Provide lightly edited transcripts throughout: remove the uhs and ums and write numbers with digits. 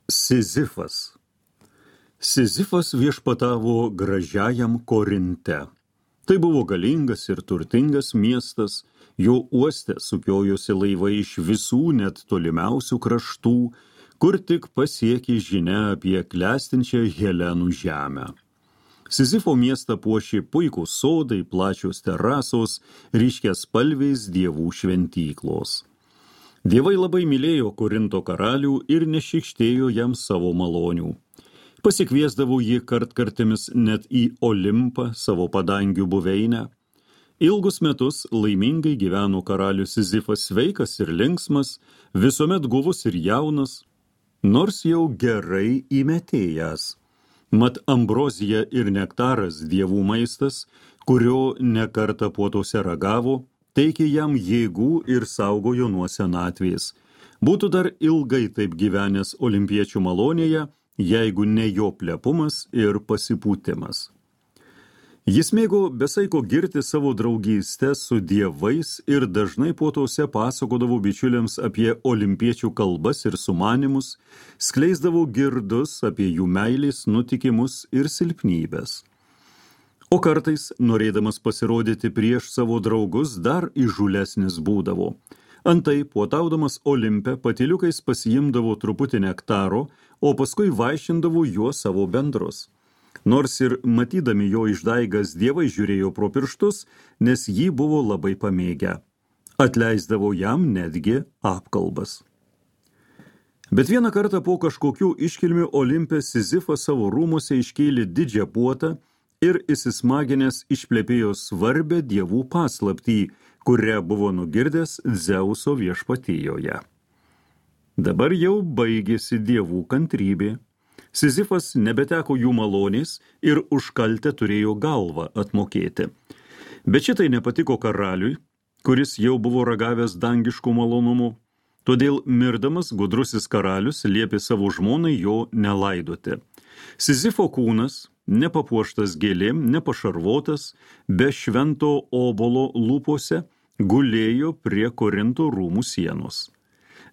Sizifas. Sizifas viešpatavo gražiajam Korinte. Tai buvo galingas ir turtingas miestas, jo uoste sukiojosi laivai iš visų net tolimiausių kraštų, kur tik pasiekė žinia apie klestinčią Helenų žemę. Sizifo miestą puošė puikūs sodai, plačios terasos, ryškiaspalviais dievų šventyklos. Dievai labai mylėjo Korinto karalių ir nešykštėjo jam savo malonių. Pasikviesdavo jį kartkartėmis net į Olimpą, savo padangių buveinę. Ilgus metus laimingai gyveno karalius Sizifas, sveikas ir linksmas, visuomet guvus ir jaunas, nors jau gerai įmetėjęs. Mat ambrozija ir nektaras dievų maistas, kurio nekartą puotose ragavo, teikė jam jėgų ir saugojo nuo senatvės. Būtų dar ilgai taip gyvenęs olimpiečių malonėje, jeigu ne jo plepumas ir pasipūtimas. Jis mėgo besaiko girti savo draugystę su dievais ir dažnai puotose pasakodavo bičiuliams apie olimpiečių kalbas ir sumanimus, skleisdavo girdus apie jų meilės nutikimus ir silpnybės. O kartais, norėdamas pasirodyti prieš savo draugus, dar įžūlesnis būdavo. Antai, puotaudamas Olimpe, patyliukais pasiimdavo truputį nektaro, o paskui vaišindavo juo savo bendrus. Nors ir matydami jo išdaigas dievai žiūrėjo pro pirštus, nes jį buvo labai pamėgę. Atleisdavo jam netgi apkalbas. Bet vieną kartą po kažkokių iškilmių Olimpe Sizifas savo rūmuose iškėlė didžią puotą ir įsismaginęs išplepėjo svarbę dievų paslaptį, kurią buvo nugirdęs Dzeuso viešpatijoje. Dabar jau baigėsi dievų kantrybė. Sizifas nebeteko jų malonės ir už kaltę turėjo galvą atmokėti. Bet šitai nepatiko karaliui, kuris jau buvo ragavęs dangiškų malonumų. Todėl mirdamas gudrusis karalius liepė savo žmonai jo nelaidoti. Sizifo kūnas, nepapuoštas gėlėm, nepašarvotas, be švento obolo lūpose, gulėjo prie Korinto rūmų sienos.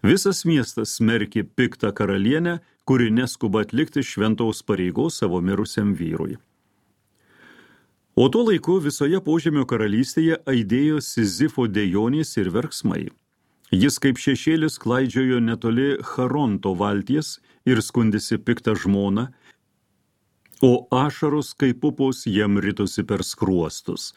Visas miestas smerkė piktą karalienę, kuri neskuba atlikti šventos pareigos savo mirusiam vyrui. O tuo laiku visoje Požemio karalystėje aidėjo Sizifo dejonės ir verksmai. Jis kaip šešėlis klaidžiojo netoli Charonto valties ir skundėsi piktą žmoną, o ašaros kaip pupos jam ritosi per skruostus.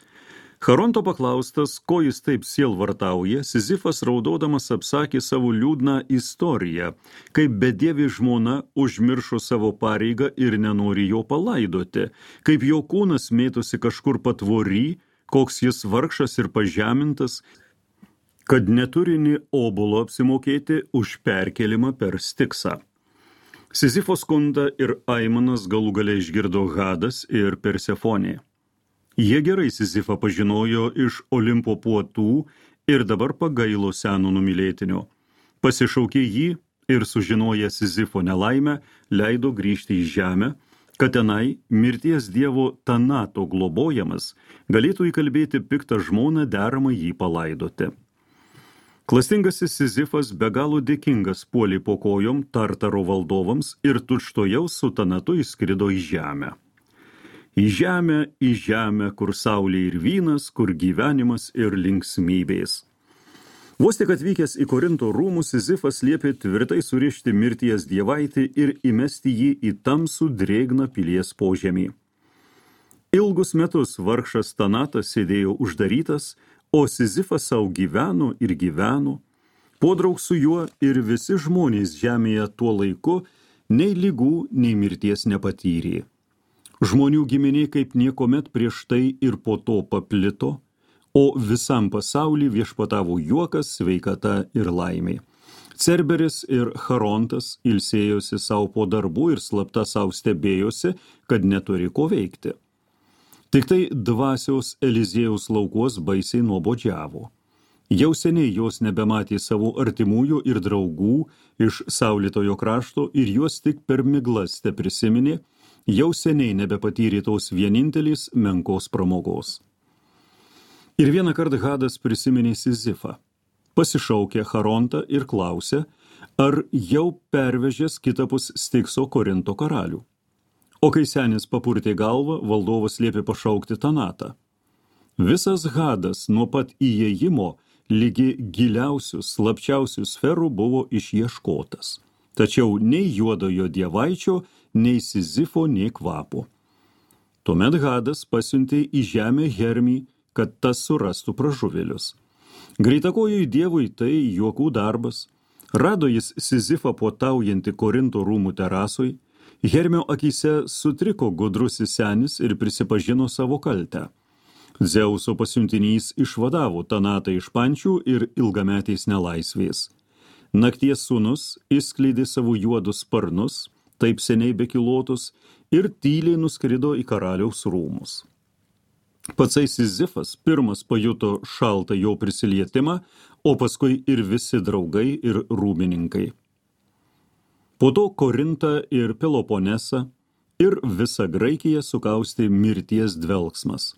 Charonto paklaustas, ko jis taip sielvartauja, Sizifas raudodamas apsakė savo liūdną istoriją, kaip bedievi žmona užmiršo savo pareigą ir nenori jo palaidoti, kaip jo kūnas mėtosi kažkur patvory, koks jis vargšas ir pažemintas, kad neturi nė obolo apsimokėti už perkelimą per Stiksą. Sizifo skundą ir aimanas galų gale išgirdo Hadas ir Persefonė. Jie gerai Sizifą pažinojo iš Olimpo puotų ir dabar pagailo seno numylėtinio. Pasišaukė jį ir sužinoję Sizifo nelaimę, leido grįžti į žemę, kad tenai mirties dievo Tanato globojamas galėtų įkalbėti piktą žmoną deramai jį palaidoti. Klastingasis Sizifas be galo dėkingas puolė po kojom Tartaro valdovams ir tučtuojau su Tanatu įskrido į žemę. Į žemę, kur saulė ir vynas, kur gyvenimas ir linksmybės. Vos tik atvykęs į Korinto rūmus, Sizifas liepė tvirtai surišti mirties dievaitį ir įmesti jį į tamsų drėgną pilies požemį. Ilgus metus vargšas Tanatas sėdėjo uždarytas, o Sizifas savo gyveno ir gyveno, podraug su juo ir visi žmonės žemėje tuo laiku nei ligų, nei mirties nepatyrė. Žmonių giminė kaip niekomet prieš tai ir po to paplito, o visam pasauly viešpatavo juokas, sveikata ir laimė. Cerberis ir Charontas ilsėjosi savo po darbų ir slapta savo stebėjosi, kad neturi ko veikti. Tik tai dvasios Eliziejaus laukuos baisiai nuobodžiavo. Jau seniai jos nebematė savo artimųjų ir draugų iš saulėtojo krašto ir juos tik per miglas teprisiminė, jau seniai nebepatyrė tos vienintelės menkos pramogos. Ir vieną kartą Hadas prisiminė Sizifą. Pasišaukė Charontą ir klausė, ar jau pervežęs kitapus Stikso Korinto karalių. O kai senis papurtė galvą, valdovas liepė pašaukti Tanatą. Visas Hadas nuo pat įėjimo lygi giliausių, slapčiausių sferų buvo išieškotas. Tačiau nei juodojo dievaičio, nei Sizifo, nei kvapo. Tuomet Hadas pasiuntė į žemę Hermį, kad tas surastų pražuvėlius. Greitakojui dievui tai juokų darbas. Rado jis Sizifą puotaujantį Korinto rūmų terasoj. Hermio akyse sutriko gudrusis senis ir prisipažino savo kaltę. Dzeuso pasiuntinys išvadavo Tanatą iš pančių ir ilgametės nelaisvės. Nakties sūnus išskleidė savo juodus sparnus, taip seniai bekilotus, ir tyliai nuskrido į karaliaus rūmus. Patsai Sizifas pirmas pajuto šaltą jo prisilietimą, o paskui ir visi draugai ir rūmininkai. Po to Korintą ir Peloponesą ir visą Graikiją sukaustė mirties dvelksmas.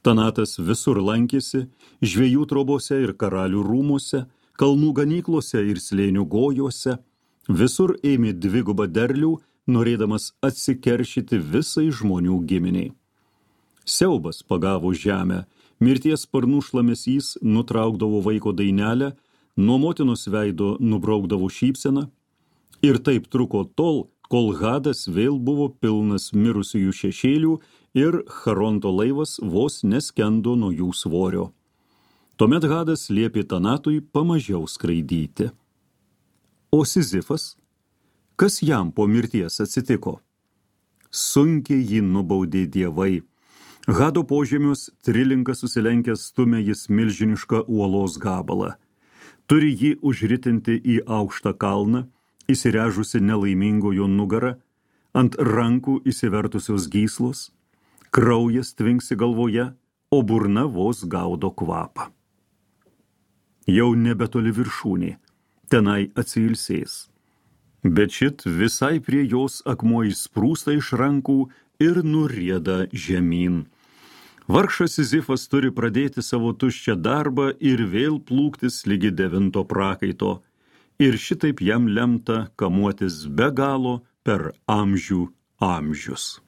Tanatas visur lankėsi, žvejų trobose ir karalių rūmuose, kalnų ganyklose ir slėnių gojuose, visur ėmė dvigubą derlių, norėdamas atsikeršyti visai žmonių giminiai. Siaubas pagavo žemę, mirties sparnų šlamesys nutraukdavo vaiko dainelę, nuo motinos veido nubraukdavo šypseną, ir taip truko tol, kol Hadas vėl buvo pilnas mirusiųjų šešėlių ir Charonto laivas vos neskendo nuo jų svorio. Tuomet Hadas liepė Tanatui pamažiau skraidyti. O Sizifas? Kas jam po mirties atsitiko? Sunkiai jį nubaudė dievai. Hado požemius trilinkas susilenkęs stumia jis milžinišką uolos gabalą. Turi jį užritinti į aukštą kalną, įsirežusi nelaimingojo nugarą, ant rankų įsivertusios gyslos, kraujas tvinksi galvoje, o burna vos gaudo kvapą. Jau nebetoli viršūnė, tenai atsilsės. Bet šit visai prie jos akmuo įsprūsta iš rankų ir nurieda žemyn. Vargšas Sizifas turi pradėti savo tuščią darbą ir vėl plūktis ligi 9 prakaito. Ir šitaip jam lemta kamuotis be galo per amžių amžius.